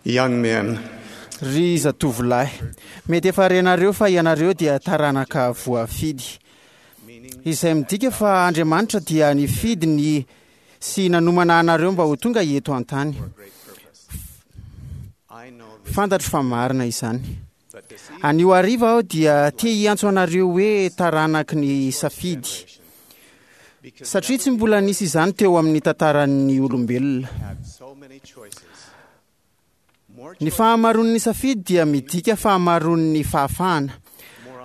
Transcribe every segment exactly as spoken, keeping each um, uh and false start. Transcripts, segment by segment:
Young men, Ry zatovolahy, mety efa renareo fa ianareo dia taranaka voafidy, izay midika fa Andriamanitra dia nifidy ny sy nanomana anareo mba ho tonga eto an-tany. I know this, Fantatro fa marina izany. but this evening Anio hariva aho dia te hiantso anareo hoe taranaky ny safidy, because satria tsy mbola nisy izany teo amin'ny tantaran'ny olombelona. had so many choices. More Ny fahamaroan'ny safidy dia midika fahamaroan'ny fahafahana,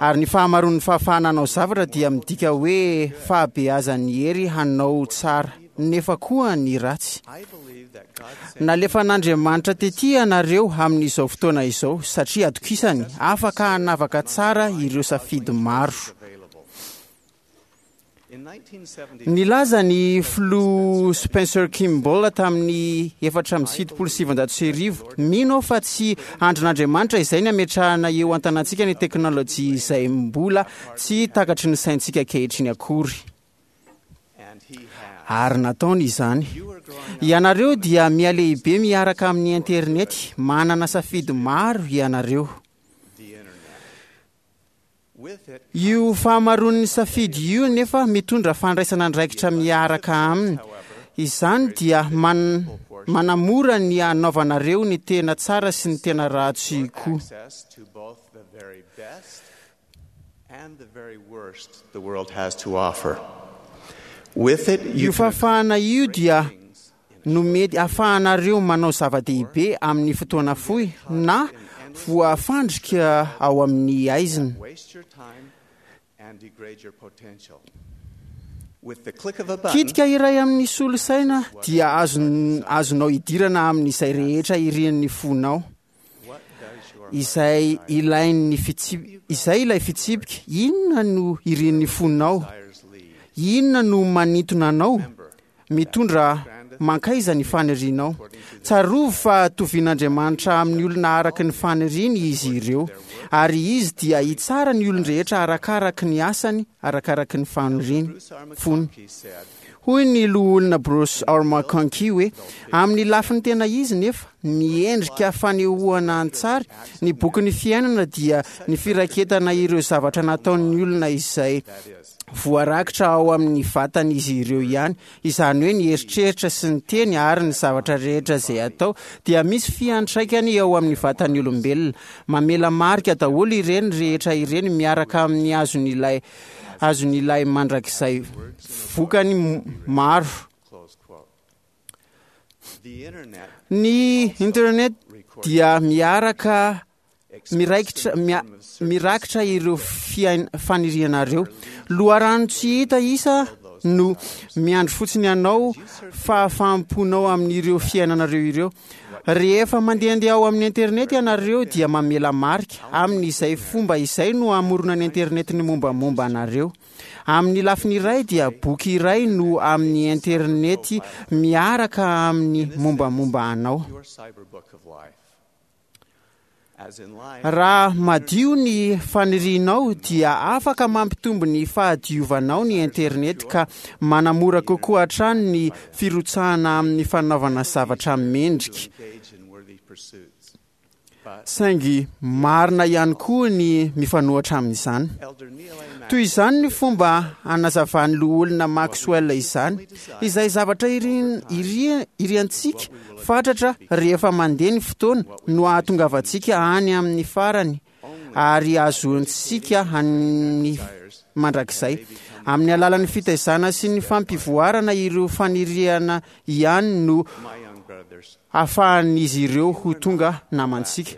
ary ny fahamaroan'ny fahafahana hanao zavatra dia midika hoe fahabeazan'ny hery hanao tsara, nefa koa ny ratsy. I believe that God sent Nalefan'Andriamanitra tety ianareo amin'izao fotoana izao satria atokisany afaka hanavaka tsara ireo safidy maro. available. In nineteen seventy, Nilaza ny filoha Spencer Kimball tamin'ny efatra amby fitopolo sy sivinjato sy arivo, mino aho fa tsy andrin'Andriamanitra izay ny ametrahana eo an-tanantsika ny teknôlôjia izay mbola tsy takatry ny saintsika ankehitriny akory. and he has. Ary nataony izany. You are growing up Ianareo dia mihalehibe miaraka amin'ny internety, manana safidy maro ianareo. the internet. With it, Io fahamaroan'ny safidy io nefa mitondra fandraisana andraikitra miaraka aminy. Izany dia man, manamora ny hanaovanareo ny tena tsara sy ny tena ratsy koa. access to both the very best and the very worst the world has to offer. With it, you Io can fahafahana io dia things in no mety ahafahanareo manao zava-dehibe amin'ny fotoana fohy na voafandrika ao amin'ny aizina. waste your time and degrade your potential. With the click of a button, Kitika iray amin'ny solosaina dia azon, azonao idirana amin'izay rehetra irian'ny fonao. what does your Izay ilain'ny fitsip- izay ilay fitsipika, inona no irian'ny fonao? desires lead? Inona no manintona anao? Mitondra mankaiza ny fanirianao? Tsarovy fa tovin'Andriamanitra amin'ny olona araka ny faniriany izy ireo, ary izy dia hitsara ny olon-drehetra arakaraky ny asany, arakaraky ny faniriany Bruce R. fony. McConkie said, Hoy ny loholona Bruce R. McConkie hoe amin'ny lafiny tena izy nefa miendrika fanehoana an-tsary ny bokin'ny fiainana dia ny firaketana ireo zavatra nataon'ny olona izay that is, voarakitra ao amin'ny vatan'izy ireo ihany, izany hoe ny eritreritra sy ny teny ary ny zavatra rehetra izay atao dia misy fiantraikany eo amin'ny vatan'ny olombelona. Mamela marika daholo ireny rehetra ireny miaraka amin'ny azon'ilay azon'ilay mandrakizay vokany m- maro. close quote. The internet Ny internet dia miaraka expressed miraikitra in the mia- form of searches mirakitra ireo fiain- fanirianareo. Loharano tsy hita isa no miandry fotsiny anao fahafaham-ponao amin'ireo fiainanareo ireo. Rehefa mandehandeha ao amin'ny internet ianareo dia mamela marika. Amin'izay fomba izay no hamoronan'ny internet ny mombamomba anareo. Amin'ny lafiny iray dia boky iray no amin'ny internet miaraka amin'ny mombamomba anao. your cyber book of life. As in life, Raha madio ny fanirianao dia afaka mampitombo ny fahadiovanao ny internet ka manamora kokoa hatrany ny firotsahana amin'ny fanaovana zavatra mendrika. to engage in worthy pursuits. But Saingy marina ihany koa ny mifanohitra amin'izany. Elder Neil A. Toy izany ny fomba anazavan'ny loholona Maxwell izany, izay zavatra irin- iri- iriantsika fatratra rehefa mandeha ny fotoana no ahatongavantsika any amin'ny farany ary ahazoantsika any mandrakizay. Amin'ny alalan'ny fitaizana sy ny fampivoarana ireo faniriana ihany no my young brothers, ahafahan'izy ireo ho tonga namantsika.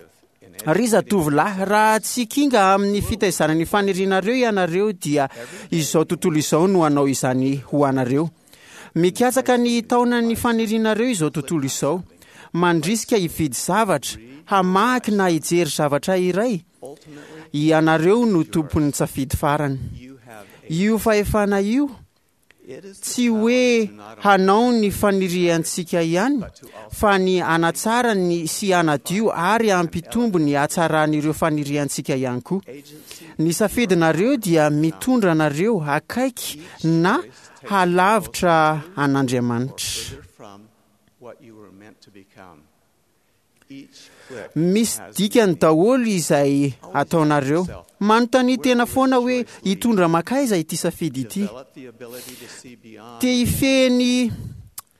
Ry zatovolahy, raha tsy kinga amin'ny fitaizana ny fanirianareo ianareo dia izao tontolo izao no hanao izany ho anareo. Mikatsaka ny taonan'ny fanirianareo izao tontolo izao. Mandrisika hividy zavatra, hamaky na hijery zavatra iray. ultimately, Ianareo no tompon'ny safidy farany. you have a, Io fahefana io it is the tsy power hoe to not only hanao ny faniriantsika ihany but to also fa ny hanatsara ny sy hanadio ary hampitombo ny hatsaran'ireo faniriantsika ihany koa. agency Ny safidinareo dia mitondra anareo akaiky na halavitra an'Andriamanitra. further from what you were meant to become. Misy dikany daholo izay ataonareo. Manontania tena foana hoe hitondra makaiza ity safidy ity. Te hifehy ny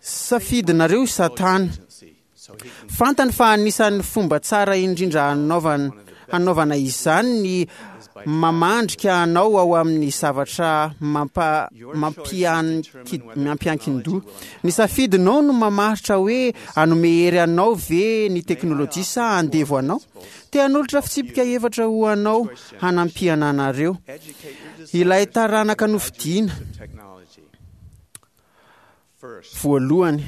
safidinareo Satana. Fantany fa anisan'ny fomba tsara indrindra hanaovana hanaovana izany ny mamandrika anao ao amin'ny zavatra mampa mampiankin-doha. Ny safidinao no mamaritra hoe hanome hery anao ve ny teknôlôjia sa handevo anao. Te hanolotra fitsipika efatra ho anao hanampiana anareo. Ilay taranaka nofidiana. Voalohany,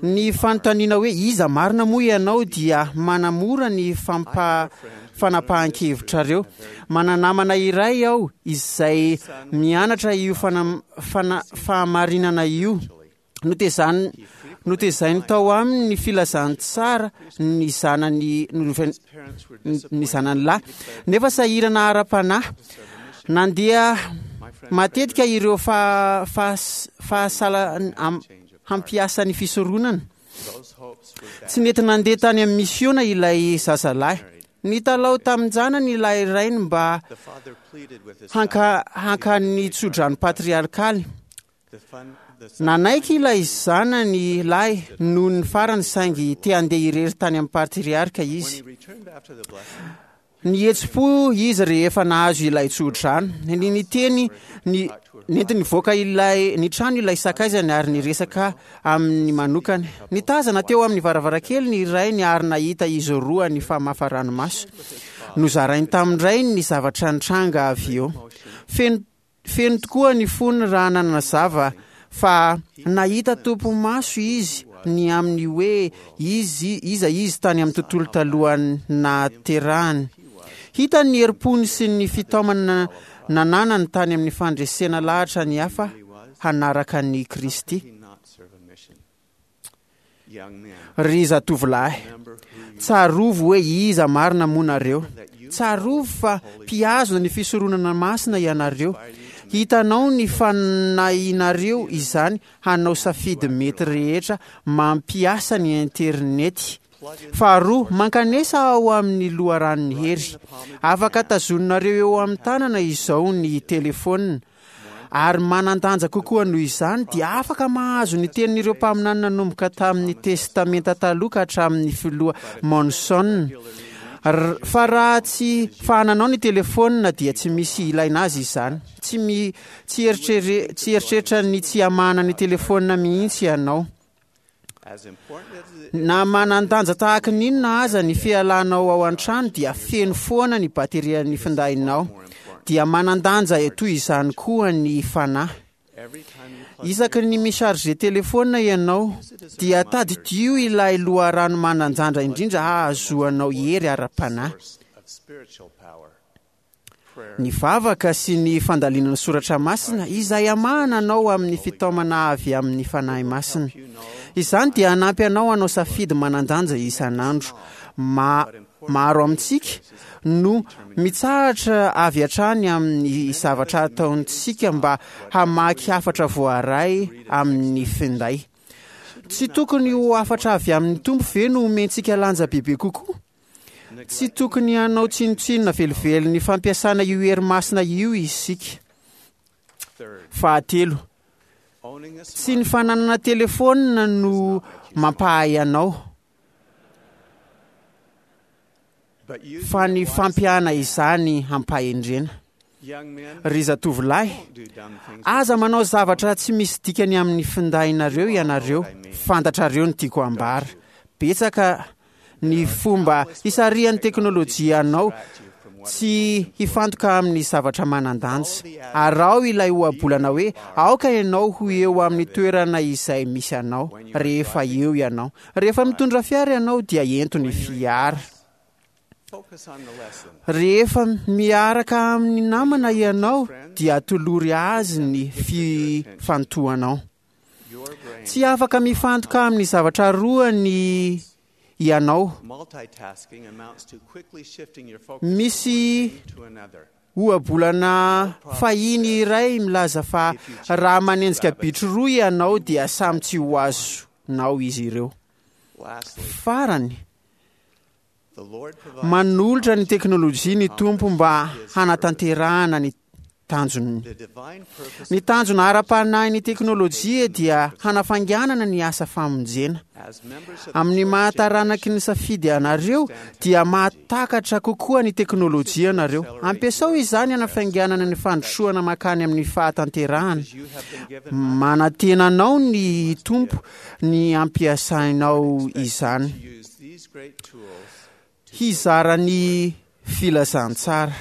ny fanontaniana hoe iza marina moa ianao dia manamora ny fampa fanapahan-kevitrareo. Mananamana iray aho izay mianatra io fana, fana, fahamarinana io. Notezany notezainy tao aminy ny filazantsara ny zanany ny zanany lahy, nefa sahirana ara-panahy. Nandeha matetika ireo fa, fa, fahasala hampiasa ny fisoronana. Tsy nety nandeha tany amin'ny misiona ilay zazalahy. Nitalao tamin-janany ilay rainy mba hanka hankany tsodrano patriarkaly. Nanaiky ilay zanany lahy noho ny farany, saingy te handeha irery tany amin'ny patriarka izy. Nihetsi-po izy rehefa nahazo ilay tsodrano. Ny niteny ny nentiny nivoaka ilay ny trano ilay sakaizany ary niresaka amin'ny manokany. Nitazana teo amin'ny varavarankely ny rainy ary nahita izy roa nifamafa ranomaso. Nozarainy tamin-drainy ny zavatra nitranga avy eo. Feno feno tokoa ny fony raha nanazava fa nahita topi-maso izy ny amin'ny hoe izy iza izy tany amin'ny tontolo talohan'ny nahaterahany. Hitany ny herim-pony sy ny fitaomana nananany tany amin'ny fandresena lahatra ny hafa hanaraka ny Kristy. Ry zatovolahy, tsarovy hoe iza marina moa nareo. Tsarovy fa mpihazona ny fisoronana masina ianareo. Hitanao ny fanahinareo izany hanao safidy mety rehetra mampiasa ny internety. Faharoa, mankanesa ao amin'ny loharanon'ny hery. Afaka tazoninareo eo amin'ny tanana izao ny telefônina. Ary manan-danja kokoa noho izany dia afaka mahazo ny tenin'ireo mpaminany nanomboka tamin'ny Testamenta Taloha ka hatramin'ny filoha Monson. Fa raha tsy fahananao ny telefônina dia tsy misy ilaina azy izany. Tsy mi tsy eritrere tsy eritreritra ny tsy hamahana ny telefônina mihitsy ianao. Na manan-danja tahaka ny inona aza ny fialanao ao an-trano dia feno foana ny baterian'ny findainao. Dia manan-danja toy izany koa ny fanahy. Isaky ny mi-charger telefônina ianao dia tadidio ilay loharano manan-danja indrindra hahazoanao hery ara-panahy. Ny vavaka sy ny fandalinana soratra masina izay hamahana anao amin'ny fitaomana avy amin'ny Fanahy Masina. Izany dia hanampy anao hanao safidy manan-danja isan'andro. Ma maro amintsika no mitsahatra avy hatrany amin'ny zavatra ataontsika mba hamaky hafatra voaray amin'ny finday. Tsy tokony ho hafatra avy amin'ny Tompo ve no omentsika lanja bebe kokoa? Tsy tokony hanao tsinontsinona velively ny fampiasana io hery masina io isika. Fahatelo, tsy ny fananana telefônina no mampahay anao, fa ny fampiana izany hampahendrena. Ry zatovolahy, aza manao zavatra tsy misy dikany amin'ny findainareo ianareo. Fantatrareo ny tiako ambara. Betsaka ny fomba hisarihan'ny teknôlôjia anao tsy hifantoka amin'ny zavatra manan-danja. Araho ilay ohabolana hoe aoka ianao ho eo amin'ny toerana izay misy anao rehefa eo ianao. Rehefa mitondra fiara ianao dia ento ny fiara. Rehefa miaraka amin'ny namana ianao dia atolory azy ny fifantohanao. Tsy afaka mifantoka amin'ny zavatra roa ny ianao. Misy ohabolana fahiny iray milaza fa raha manenjika bitro roa ianao dia samy tsy ho azonao izy ireo. Farany, Manolotra ny teknôlôjia ny Tompo mba hanatanterahana ny tanjony. Ny tanjona ara-panahy ny teknôlôjia dia hanafainganana ny asa famonjena. Amin'ny mahataranaky ny safidy anareo dia mahatakatra kokoa ny teknôlôjia anareo. Ampiasao izany hanafainganana ny fandrosoana makany amin'ny fahatanterahana. Manantena anao ny Tompo ny ampiasainao izany. Hizara ny filazantsara.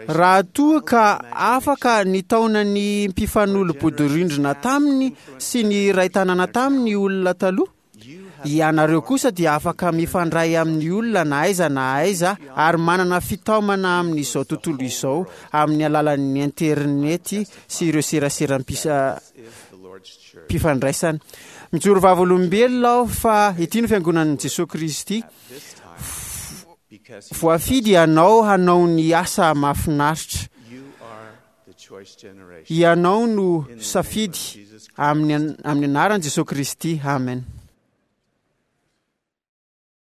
Raha toa ka afaka nitaona ny mpifanolo-bodirindrina taminy sy ny iray tanàna taminy olona taloha, ianareo kosa dia afaka mifandray amin'ny olona na aiza na aiza ary manana fitaomana amin'izao tontolo izao amin'ny alalan'ny internety sy ireo seraseram-pifandraisana. Mijoro vavolombelona aho fa ity no fiangonan'i Jesoa Kristy. Voafidy ianao hanao ny asa mahafinaritra. Ianao no safidy amin'ny amin'ny anaran'i Jesoa Kristy. Amen.